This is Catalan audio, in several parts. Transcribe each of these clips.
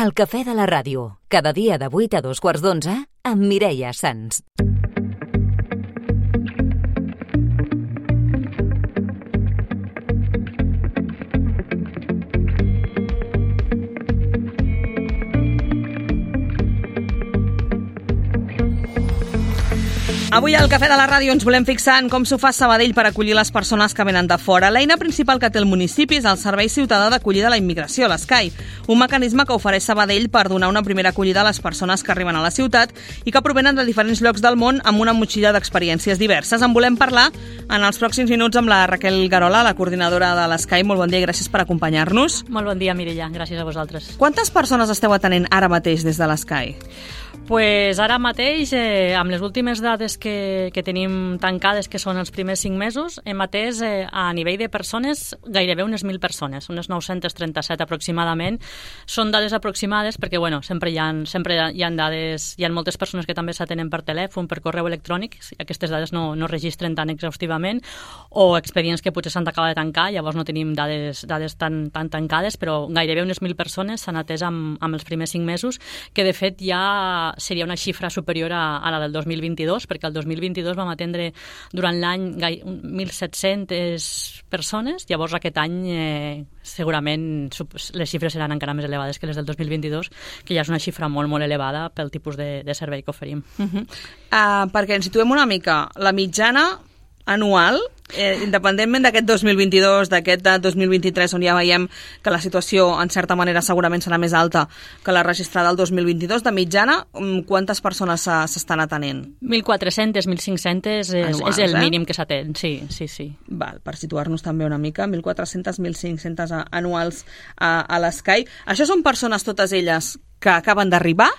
El cafè de la ràdio, cada dia de 8 a 2:15 amb Mireia Sans. Avui al Cafè de la Ràdio ens volem fixar en com s'ho fa Sabadell per acollir les persones que venen de fora. L'eina principal que té el municipi és el Servei Ciutadà d'Acollida a la Immigració, l'SCAI, un mecanisme que ofereix Sabadell per donar una primera acollida a les persones que arriben a la ciutat i que provenen de diferents llocs del món amb una motxilla d'experiències diverses. En volem parlar en els pròxims minuts amb la Raquel Garola, la coordinadora de l'SCAI. Molt bon dia i gràcies per acompanyar-nos. Molt bon dia, Mireia. Gràcies a vosaltres. Quantes persones esteu atenent ara mateix des de l'SCAI? Pues ara mateix, amb les últimes dades que tenim tancades, que són els primers 5 mesos, hem atès a nivell de persones gairebé unes 1.000 persones, unes 937 aproximadament. Són dades aproximades perquè, bueno, sempre hi ha dades, hi ha moltes persones que també s'atenen per telèfon, per correu electrònic, aquestes dades no registren tan exhaustivament, o expedients que potser s'han d'acabar de tancar, llavors no tenim dades tan tancades, però gairebé unes 1.000 persones s'han atès amb els primers 5 mesos, que de fet ja seria una xifra superior a la del 2022, perquè el 2022 vam atendre durant l'any 1.700 persones, llavors aquest any segurament les xifres seran encara més elevades que les del 2022, que ja és una xifra molt, molt elevada pel tipus de servei que oferim. Perquè ens situem una mica, la mitjana anual, independentment d'aquest 2022, d'aquest 2023, on ja veiem que la situació, en certa manera, segurament serà més alta que la registrada el 2022, de mitjana, quantes persones s'estan atenent? 1.400, 1.500 és el mínim que s'atén, sí. Val, per situar-nos també una mica, 1.400, 1.500 anuals a l'SCAI. Això són persones, totes elles, que acaben d'arribar?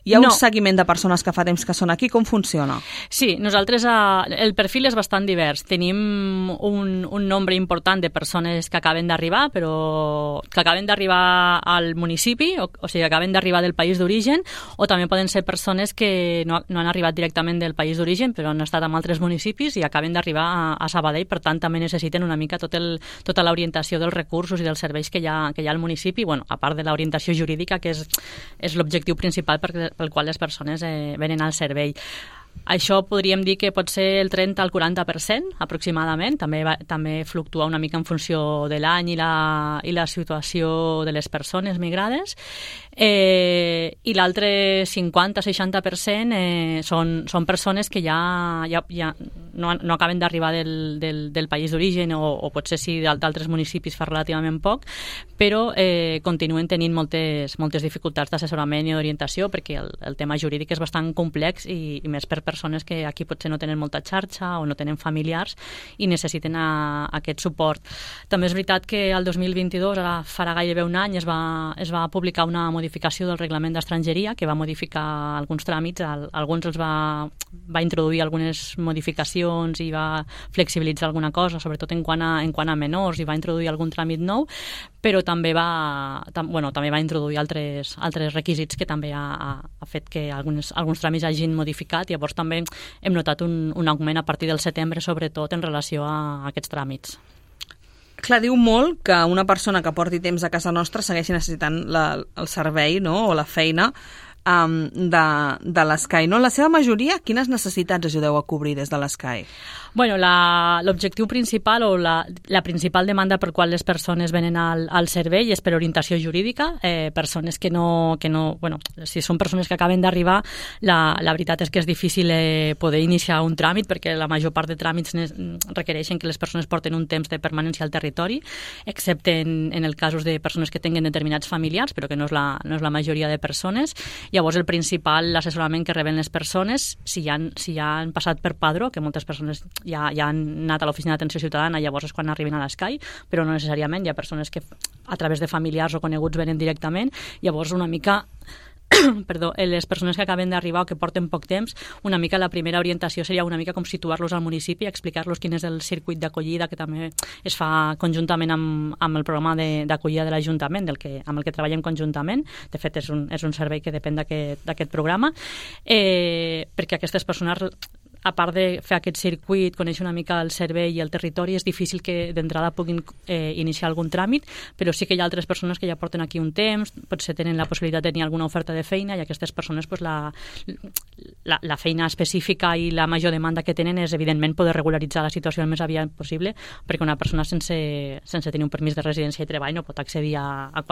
Hi ha un seguiment de persones que fa temps que són aquí? Com funciona? Sí, nosaltres el perfil és bastant divers. Tenim un nombre important de persones que acaben d'arribar, però que acaben d'arribar al municipi, o sigui, que acaben d'arribar del país d'origen, o també poden ser persones que no han arribat directament del país d'origen, però han estat en altres municipis i acaben d'arribar a Sabadell, per tant també necessiten una mica tota l'orientació dels recursos i dels serveis que hi ha al municipi, bueno, a part de l'orientació jurídica, que és l'objectiu principal pel qual les persones venen al servei. Això podríem dir que pot ser el 30 al 40% aproximadament, també fluctua una mica en funció de l'any i la situació de les persones migrades, i l'altre 50-60% són persones que ja no acaben d'arribar del país d'origen, o potser sí d'altres municipis fa relativament poc, però continuen tenint moltes dificultats d'assessorament i d'orientació, perquè el tema jurídic és bastant complex i més per persones que aquí potser no tenen molta xarxa o no tenen familiars i necessiten aquest suport. També és veritat que el 2022, ara farà gairebé un any, es va publicar una modificació del reglament d'estrangeria que va modificar alguns tràmits, alguns els va introduir algunes modificacions i va flexibilitzar alguna cosa, sobretot en quant a menors, i va introduir algun tràmit nou, però també va introduir altres requisits que també ha fet que alguns tràmits hagin modificat. Llavors també hem notat un augment a partir del setembre, sobretot en relació a aquests tràmits. Clar, diu molt que una persona que porti temps a casa nostra segueixi necessitant el servei, no?, o la feina de l'SCAI. No? En la seva majoria, quines necessitats ajudeu a cobrir des de l'SCAI? Bueno, l'objectiu principal o la principal demanda per qual les persones venen al servei és per orientació jurídica. Persones que no... Bueno, si són persones que acaben d'arribar, la veritat és que és difícil poder iniciar un tràmit, perquè la major part de tràmits requereixen que les persones porten un temps de permanència al territori, excepte en el casos de persones que tinguen determinats familiars, però que no és la majoria de persones. Llavors, el principal assessorament que reben les persones, si ja han passat per padró, que moltes persones ja han anat a l'oficina d'atenció ciutadana, llavors és quan arriben a l'SCAI, però no necessàriament. Hi ha persones que a través de familiars o coneguts venen directament. Llavors, una mica... les persones que acaben d'arribar o que porten poc temps, una mica la primera orientació seria una mica com situar-los al municipi, explicar-los quin és el circuit d'acollida que també es fa conjuntament amb el programa d'acollida de l'Ajuntament, amb el que treballem conjuntament. De fet, és un servei que depèn d'aquest programa, perquè aquestes persones a part de fer aquest circuit, conèixer una mica el servei i el territori, és difícil que d'entrada puguin iniciar algun tràmit, però sí que hi ha altres persones que ja porten aquí un temps, potser tenen la possibilitat de tenir alguna oferta de feina, i aquestes persones pues, la feina específica i la major demanda que tenen és, evidentment, poder regularitzar la situació el més aviat possible, perquè una persona sense tenir un permís de residència i treball no pot accedir a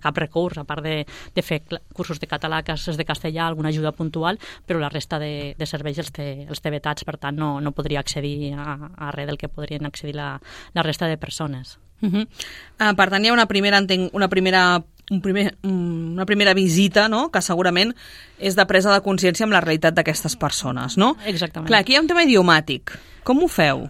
cap recurs, a part de fer cursos de català, classes de castellà, alguna ajuda puntual, però la resta de serveis els té vetats, per tant no podria accedir a res del que podrien accedir la resta de persones. Per tant, hi ha una primera visita, no?, que segurament és de presa de consciència amb la realitat d'aquestes persones, no? Exactament. Clar, aquí hi ha un tema idiomàtic. Com ho feu?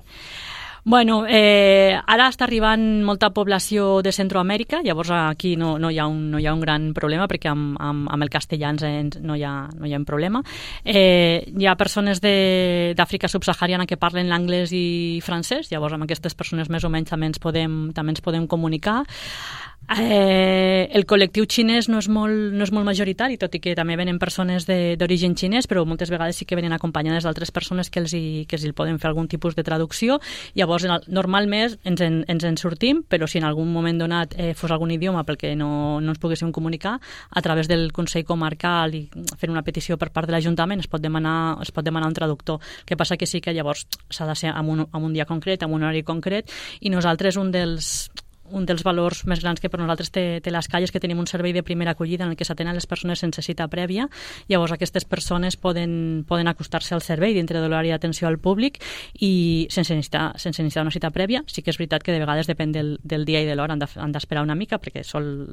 Bueno, ara està arribant molta població de Centroamèrica, llavors aquí no hi ha un gran problema perquè amb el castellà no hi ha un problema. Hi ha persones d'Àfrica subsahariana que parlen l'anglès i francès, llavors amb aquestes persones més o menys també ens podem comunicar. El col·lectiu xinès no és molt majoritari, tot i que també venen persones d'origen xinès, però moltes vegades sí que venen acompanyades d'altres persones que els hi poden fer algun tipus de traducció. Llavors, normalment ens en sortim, però si en algun moment donat fos algun idioma pel que no ens poguéssim comunicar, a través del Consell Comarcal i fent una petició per part de l'Ajuntament es pot demanar un traductor. El que passa que sí que llavors s'ha de ser en un dia concret, en un horari concret, i nosaltres un dels valors més grans que per nosaltres té l'Escai és que tenim un servei de primera acollida en el que s'atenen les persones sense cita prèvia. Llavors aquestes persones poden acostar-se al servei dintre de l'horari d'atenció al públic i sense necessitar una cita prèvia. Sí que és veritat que de vegades depèn del dia i de l'hora, han d'esperar una mica perquè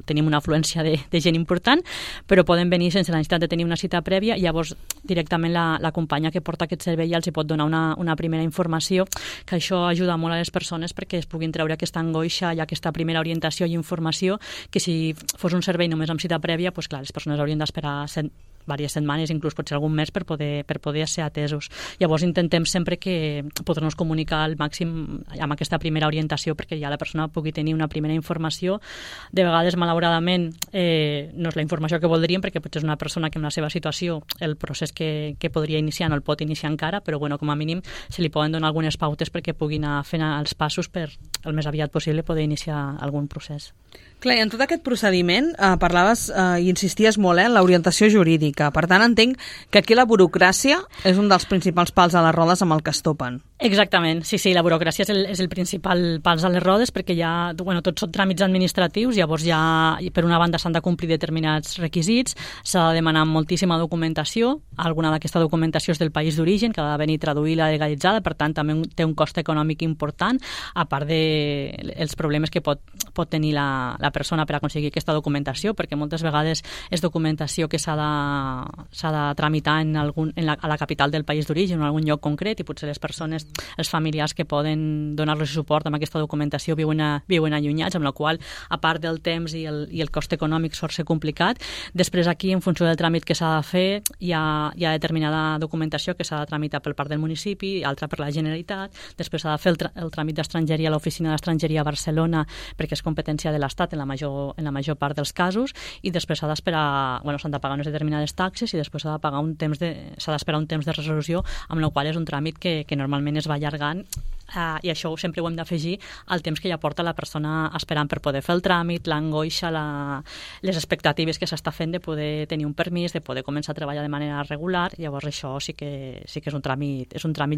tenim una afluència de gent important, però poden venir sense la necessitat de tenir una cita prèvia. Llavors directament la companya que porta aquest servei ja els hi pot donar una primera informació, que això ajuda molt a les persones perquè es puguin treure aquesta angoixa i aquesta primera orientació i informació, que si fos un servei només amb cita prèvia, doncs clar, les persones haurien d'esperar diverses setmanes, inclús potser algun mes per poder ser atesos. Llavors intentem sempre que poder-nos comunicar al màxim amb aquesta primera orientació perquè ja la persona pugui tenir una primera informació. De vegades, malauradament, no és la informació que voldríem perquè potser és una persona que en la seva situació el procés que podria iniciar no el pot iniciar encara, però bueno, com a mínim se li poden donar algunes pautes perquè pugui anar fent els passos per el més aviat possible poder iniciar algun procés. Clar, i en tot aquest procediment parlaves i insisties molt en l'orientació jurídica. Per tant, entenc que aquí la burocràcia és un dels principals pals a les rodes amb el que es topen. Exactament, sí, la burocràcia és el principal pals a les rodes perquè tots són tràmits administratius, llavors ja per una banda s'han de complir determinats requisits, s'ha de demanar moltíssima documentació, alguna d'aquesta documentació és del país d'origen, que ha de venir traduïda i legalitzada, per tant també té un cost econòmic important, a part dels problemes que pot tenir la persona per aconseguir aquesta documentació, perquè moltes vegades és documentació que s'ha de tramitar a la capital del país d'origen o en algun lloc concret, i potser les persones, els familiars que poden donar-los suport amb aquesta documentació viuen allunyats, amb la qual, a part del temps i el cost econòmic sol ser complicat. Després aquí, en funció del tràmit que s'ha de fer, hi ha determinada documentació que s'ha de tramitar per part del municipi, altra per la Generalitat, després s'ha de fer el tràmit d'estrangeria a l'Oficina d'Estrangeria a Barcelona perquè és competència de l'Estat en la major part dels casos, i després s'ha d'esperar, s'han de pagar unes determinades taxes i després s'ha d'esperar un temps de resolució, amb la qual és un tràmit que normalment es va allargant, i això sempre ho hem d'afegir al temps que ja porta la persona esperant per poder fer el tràmit, l'angoixa, les expectatives que s'està fent de poder tenir un permís, de poder començar a treballar de manera regular. Llavors això sí que és un tràmit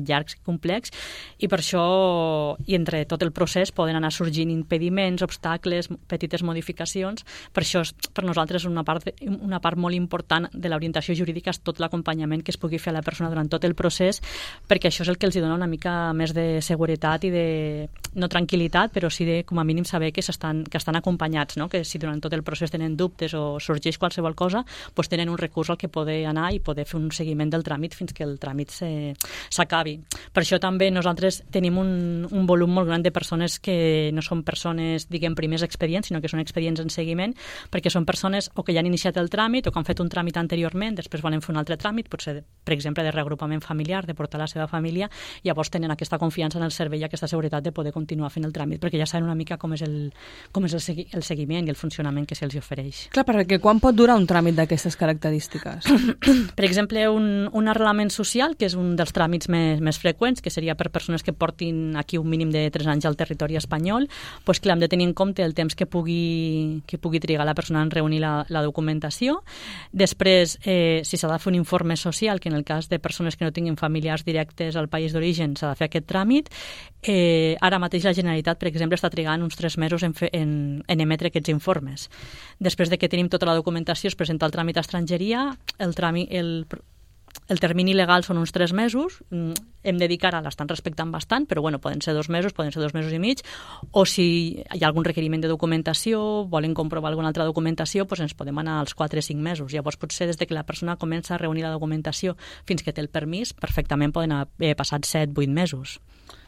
llarg i complex, i per això, i entre tot el procés, poden anar sorgint impediments, obstacles, petites modificacions. Per això per nosaltres una part molt important de l'orientació jurídica és tot l'acompanyament que es pugui fer a la persona durant tot el procés, perquè això és el que els dona una mica més de seguretat i de, no tranquil·litat, però sí de, com a mínim, saber que estan acompanyats, no? Que si durant tot el procés tenen dubtes o sorgeix qualsevol cosa, doncs tenen un recurs al que poder anar i poder fer un seguiment del tràmit fins que el tràmit s'acabi. Per això també nosaltres tenim un volum molt gran de persones que no són persones, diguem, primers expedients, sinó que són expedients en seguiment, perquè són persones o que ja han iniciat el tràmit o que han fet un tràmit anteriorment, després volen fer un altre tràmit, potser, per exemple, de reagrupament familiar, de portar la seva família, llavors tenen aquesta confiança en el servei i aquesta seguretat de poder continuar fent el tràmit, perquè ja saben una mica com és el seguiment i el funcionament que se'ls ofereix. Clar, perquè quan pot durar un tràmit d'aquestes característiques? Per exemple, un arrelament social, que és un dels tràmits més freqüents, que seria per persones que portin aquí un mínim de 3 anys al territori espanyol, doncs clar, hem de tenir en compte el temps que pugui trigar la persona en reunir la documentació. Després, si s'ha de fer un informe social, que en el cas de persones que no tinguin familiars directes al país d'origen s'ha de fer aquest tràmit. Ara mateix la Generalitat, per exemple, està trigant uns 3 mesos en emetre aquests informes. Després de que tenim tota la documentació, es presenta el tràmit a estrangeria, el termini legal són uns 3 mesos, hem de dir que ara l'estan respectant bastant, però bueno, poden ser 2 mesos, poden ser 2 mesos i mig, o si hi ha algun requeriment de documentació, volen comprovar alguna altra documentació, doncs ens podem anar als 4 o 5 mesos. Llavors potser des de que la persona comença a reunir la documentació fins que té el permís, perfectament poden haver passat 7-8 mesos.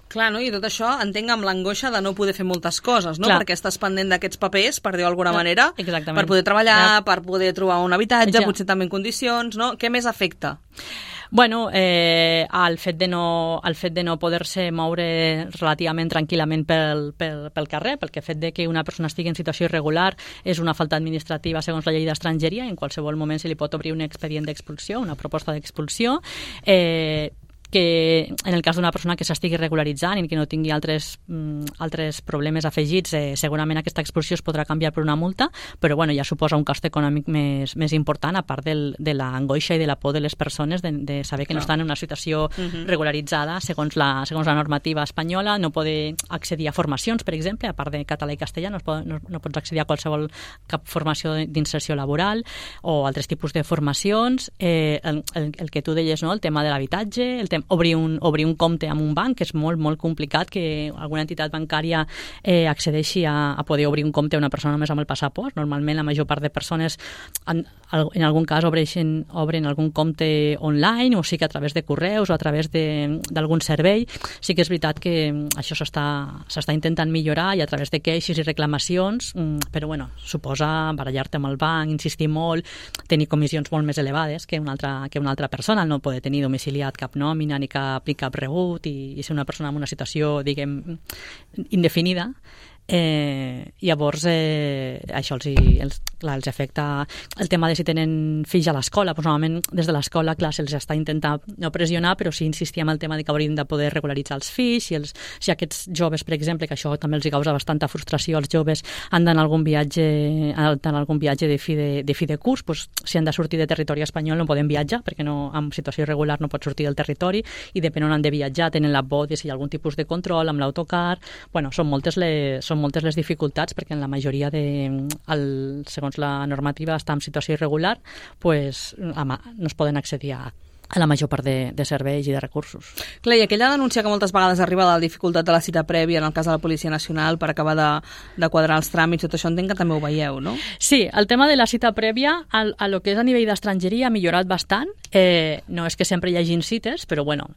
Clar, no? I tot això entenc amb l'angoixa de no poder fer moltes coses, no? Clar. Perquè estàs pendent d'aquests papers, per dir-ho d'alguna manera, exactament. Per poder treballar, per poder trobar un habitatge, potser també en condicions, no? Què més afecta? Bueno, el fet de no poder-se moure relativament tranquil·lament pel carrer, pel fet de que una persona estigui en situació irregular és una falta administrativa segons la llei d'estrangeria, i en qualsevol moment se li pot obrir un expedient d'expulsió, una proposta d'expulsió, que en el cas d'una persona que s'estigui regularitzant i que no tingui altres problemes afegits, segurament aquesta expulsió es podrà canviar per una multa, però bueno, ja suposa un cost econòmic més important, a part de l'angoixa i de la por de les persones de saber que no estan en una situació regularitzada segons la normativa espanyola, no poder accedir a formacions, per exemple, a part de català i castellà, no pots accedir a cap formació d'inserció laboral o altres tipus de formacions, el que tu deies, no? El tema de l'habitatge, el tema obrir un compte amb un banc, que és molt, molt complicat que alguna entitat bancària accedeixi a poder obrir un compte a una persona només amb el passaport. Normalment la major part de persones en algun cas obren algun compte online, o sigui que a través de correus o a través d'algun servei. Sí que és veritat que això s'està intentant millorar i a través de queixes i reclamacions, però bueno, suposa barallar-te amb el banc, insistir molt, tenir comissions molt més elevades que una altra persona, no poder tenir domiciliat cap nòmina ni cap rebut i ser una persona en una situació, diguem, indefinida. Llavors això els afecta el tema de si tenen fills a l'escola. Doncs normalment des de l'escola, clar, se'ls està intentant no pressionar, però sí insistir en el tema de que haurien de poder regularitzar els fills, si aquests joves, per exemple, que això també els causa bastanta frustració als joves, han d'anar a algun viatge de fi de curs, doncs, si han de sortir de territori espanyol no poden viatjar, perquè en situació irregular no pot sortir del territori, i depèn on han de viatjar, tenen la por de si hi ha algun tipus de control amb l'autocar. Bueno, són moltes les dificultats, perquè en la majoria segons la normativa està en situació irregular, pues, no es poden accedir a la major part de serveis i de recursos. Clar, i aquella denúncia que moltes vegades arriba de la dificultat de la cita prèvia en el cas de la Policia Nacional per acabar de quadrar els tràmits, tot això entenc que també ho veieu, no? Sí, el tema de la cita prèvia a lo que és a nivell d'estrangeria ha millorat bastant. No és que sempre hi hagin cites, però bueno,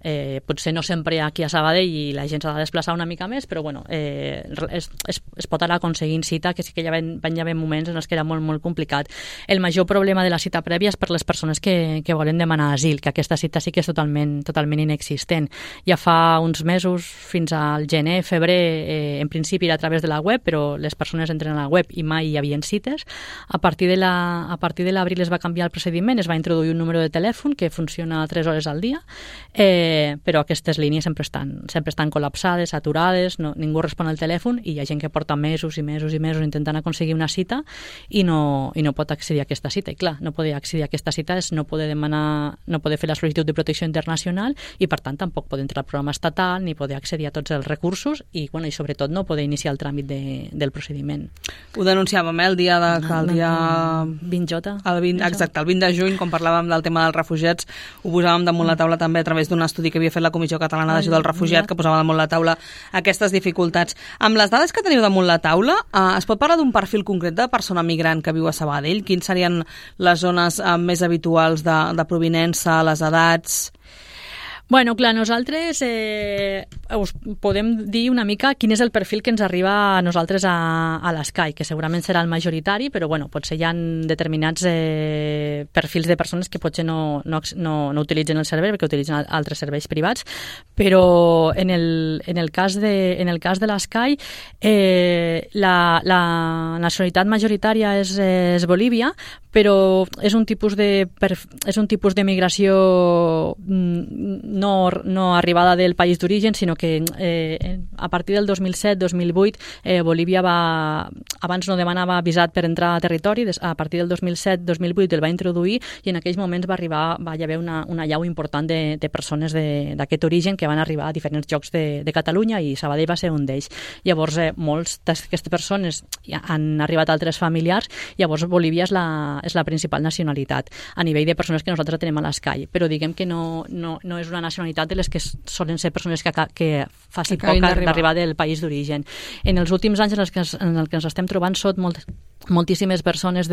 potser no sempre aquí a Sabadell i la gent s'ha de desplaçar una mica més, però bueno, es pot anar aconseguint cita, que sí que van haver moments en els que era molt, molt complicat. El major problema de la cita prèvia és per les persones que volen demanar asil, que aquesta cita sí que és totalment inexistent. Ja fa uns mesos, fins al gener, febrer, en principi era a través de la web, però les persones entren a la web i mai hi havia cites. A partir de l'abril es va canviar el procediment, es va introduir un número de telèfon que funciona 3 hores al dia, però aquestes línies sempre estan col·lapsades, saturades, ningú respon al telèfon, i hi ha gent que porta mesos i mesos i mesos intentant aconseguir una cita i no pot accedir a aquesta cita. I clar, no poder accedir a aquesta cita és no poder fer la sol·licitud de protecció internacional i, per tant, tampoc poder entrar al programa estatal ni poder accedir a tots els recursos i sobretot no poder iniciar el tràmit del procediment. Ho denunciàvem, el dia 20J. Exacte, el 20 de juny, quan parlàvem del tema dels refugiats, ho posàvem damunt la taula també a través d'un estudi que havia fet la Comissió Catalana d'Ajuda al Refugiat, que posava damunt la taula aquestes dificultats. Amb les dades que teniu damunt la taula, es pot parlar d'un perfil concret de persona migrant que viu a Sabadell? Quins serien les zones més habituals de provinença, les edats? Bueno, clar, nosaltres us podem dir una mica quin és el perfil que ens arriba a nosaltres a l'Sky, que segurament serà el majoritari, però bueno, potser hi ha determinats perfils de persones que potser no utilitzen el servei perquè utilitzen altres serveis privats, però en el cas de l'Sky la nacionalitat majoritària és Bolívia, però és un tipus de migració no arribada del país d'origen, sinó que a partir del 2007-2008 Bolívia abans no demanava visat per entrar a territori, a partir del 2007-2008 el va introduir i en aquells moments va hi haver una llau important de persones d'aquest origen que van arribar a diferents llocs de Catalunya i Sabadell va ser un d'ells. Llavors molts d'aquestes persones han arribat altres familiars, llavors Bolívia és la principal nacionalitat a nivell de persones que nosaltres tenim a l'Sky, però diguem que no és una nacionalitat de les que solen ser persones que faci poc d'arribar del país d'origen. En els últims anys en el que ens estem trobant són moltíssimes persones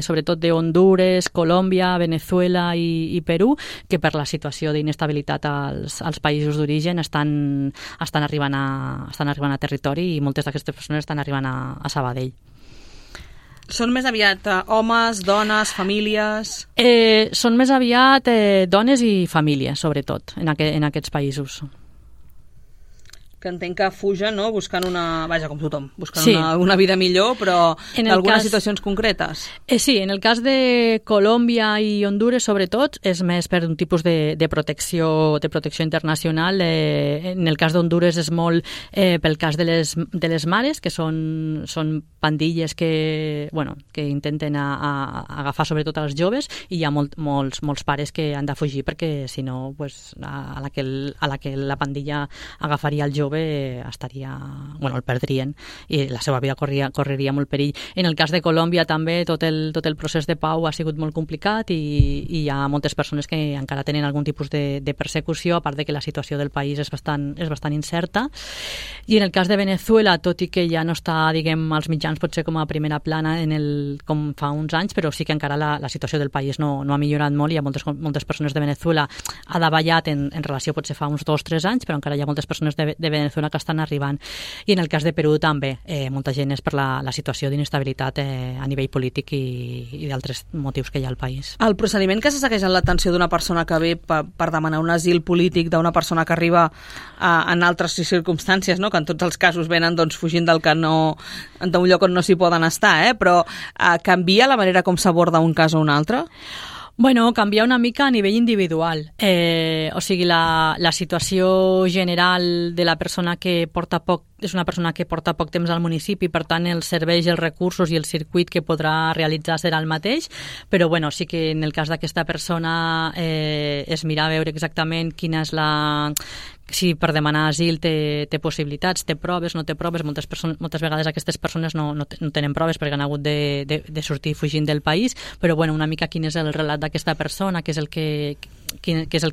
sobretot d'Hondures, Colòmbia, Venezuela i Perú, que per la situació d'inestabilitat als països d'origen estan arribant a territori i moltes d'aquestes persones estan arribant a Sabadell. Són més aviat homes, dones, famílies... Són més aviat dones i famílies, sobretot, en aquests països. Que entenc que fugen, no?, buscant com tothom, buscant una vida millor, però d'algunes situacions concretes. Sí, en el cas de Colòmbia i Hondures, sobretot, és més per un tipus de protecció internacional. En el cas d'Hondures és molt pel cas de les mares, que són pandilles que intenten agafar sobretot als joves, i hi ha molts pares que han de fugir perquè, si no, a la que la pandilla agafaria el jove el perdrien i la seva vida correria molt perill. En el cas de Colòmbia també tot el procés de pau ha sigut molt complicat i hi ha moltes persones que encara tenen algun tipus de persecució, a part de que la situació del país és bastant incerta. I en el cas de Venezuela, tot i que ja no està, diguem, als mitjans potser com a primera plana com fa uns anys, però sí que encara la situació del país no ha millorat molt. Hi ha moltes persones de Venezuela ha davallat en relació potser fa uns 2 o 3 anys, però encara hi ha moltes persones de Venezuela que estan arribant. I en el cas de Perú també, molta gent és per la situació d'inestabilitat a nivell polític i d'altres motius que hi ha al país. El procediment que se segueix en l'atenció d'una persona que ve per demanar un asil polític d'una persona que arriba en altres circumstàncies, no?, que en tots els casos venen fugint d'un lloc on no s'hi poden estar, però canvia la manera com s'aborda un cas o un altre? Bueno, canvia una mica a nivell individual. O sigui, la situació general de la persona que és una persona que porta poc temps al municipi, per tant els serveis, els recursos i el circuit que podrà realitzar serà el mateix, però bueno, sí que en el cas d'aquesta persona és mirar a veure exactament quina és si per demanar asil té possibilitats, té proves, no té proves. Moltes vegades aquestes persones no tenen proves perquè han hagut de sortir fugint del país, però bueno, una mica quin és el relat d'aquesta persona, què és el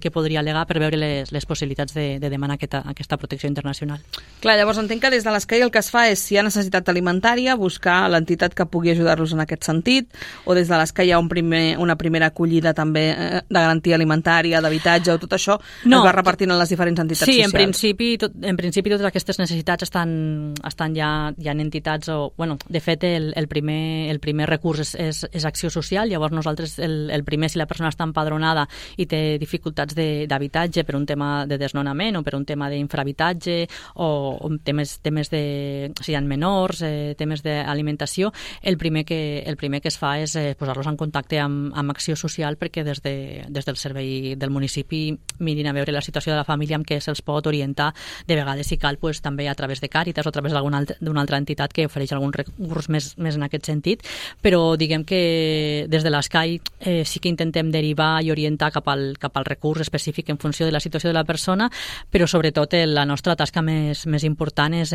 que podria al·legar per veure les possibilitats de demanar aquesta protecció internacional. Clar, llavors entenc que des de l'Sky el que es fa és, si hi ha necessitat alimentària, buscar l'entitat que pugui ajudar-los en aquest sentit, o des de l'Sky hi ha una primera acollida també de garantia alimentària, d'habitatge, o tot això es va repartint en les diferents entitats socials. En principi totes aquestes necessitats estan ja en entitats, de fet el primer recurs és acció social. Llavors nosaltres el primer, si la persona està empadronada i té dificultats d'habitatge per un tema de desnonament o per un tema d'infrahabitatge o temes de, si hi ha menors, temes d'alimentació, el primer que es fa és posar-los en contacte amb acció social, perquè des del servei del municipi mirin a veure la situació de la família amb què se'ls pot orientar, de vegades si cal també a través de Càritas o a través d'una altra entitat que ofereix algun recurs més en aquest sentit, però diguem que des de l'Sky sí que intentem derivar i orientar cap al recurs específic en funció de la situació de la persona, però sobretot la nostra tasca més important és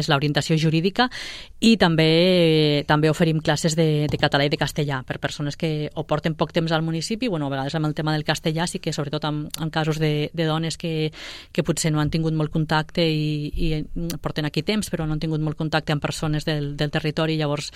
l'orientació jurídica, i també oferim classes de català i de castellà per persones que o porten poc temps al municipi, a vegades amb el tema del castellà sí que sobretot en casos de dones que potser no han tingut molt contacte i porten aquí temps però no han tingut molt contacte amb persones del territori, llavors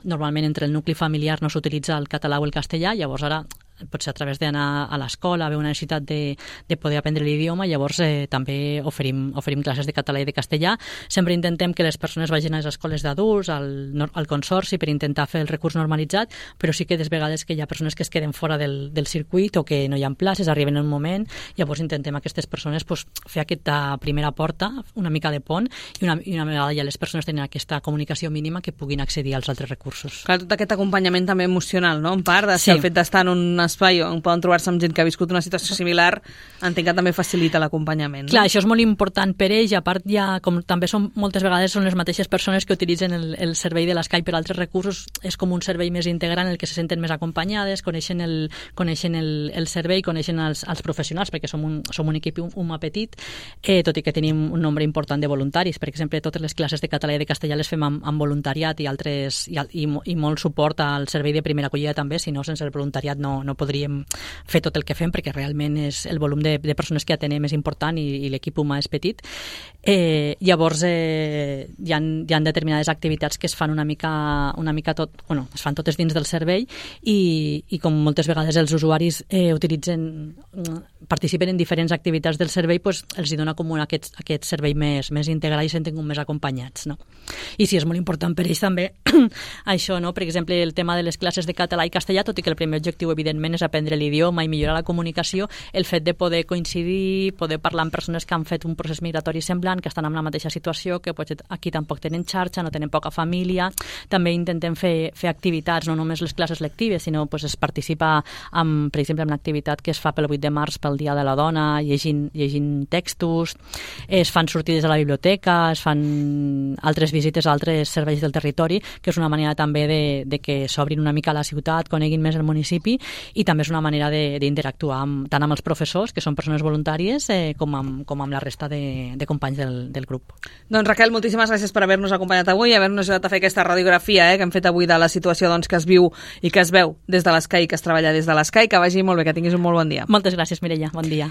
normalment entre el nucli familiar no s'utilitza el català o el castellà, llavors ara potser a través d'anar a l'escola, veu una necessitat de poder aprendre l'idioma, llavors també oferim classes de català i de castellà. Sempre intentem que les persones vagin a les escoles d'adults, al consorci, per intentar fer el recurs normalitzat, però sí que des vegades que hi ha persones que es queden fora del circuit o que no hi ha places, arriben en un moment, llavors intentem a aquestes persones fer aquesta primera porta, una mica de pont, i una vegada ja les persones tenen aquesta comunicació mínima que puguin accedir als altres recursos. Clar, tot aquest acompanyament també emocional, no? En part, el fet d'estar en un espai on poden trobar-se amb gent que ha viscut una situació similar, entenc que també facilita l'acompanyament. Clar, això és molt important per ells, i a part com també moltes vegades són les mateixes persones que utilitzen el servei de l'Skype per altres recursos, és com un servei més integral en el que se senten més acompanyades, coneixen el servei, coneixen els professionals, perquè som un equip humà petit, tot i que tenim un nombre important de voluntaris. Per exemple, totes les classes de català i de castellà les fem amb voluntariat i molt suport al servei de primera acollida també, si no, sense el voluntariat no podríem fer tot el que fem, perquè realment el volum de persones que atenem és important i l'equip humà és petit. Llavors hi ha determinades activitats que es fan una mica tot, es fan totes dins del servei, i com moltes vegades els usuaris participen en diferents activitats del servei, els hi dona com aquest servei més integral i se senten més acompanyats, no? I sí, és molt important per ells també això, no? Per exemple, el tema de les classes de català i castellà, tot i que el primer objectiu evidentment és aprendre l'idioma i millorar la comunicació, el fet de poder coincidir, poder parlar amb persones que han fet un procés migratori semblant, que estan en la mateixa situació, que potser aquí tampoc tenen xarxa, no tenen poca família. També intentem fer activitats, no només les classes lectives, sinó es participa per exemple en una activitat que es fa pel 8 de març pel Dia de la Dona, llegint textos, es fan sortides a la biblioteca, es fan altres visites a altres serveis del territori, que és una manera també de que s'obrin una mica a la ciutat, coneguin més el municipi, i també és una manera d'interactuar tant amb els professors, que són persones voluntàries, com amb la resta de companys del grup. Doncs Raquel, moltíssimes gràcies per haver-nos acompanyat avui i haver-nos ajudat a fer aquesta radiografia que hem fet avui de la situació que es viu i que es veu des de l'Sky, que es treballa des de l'Sky. Que vagi molt bé, que tinguis un molt bon dia. Moltes gràcies, Mireia. Bon dia.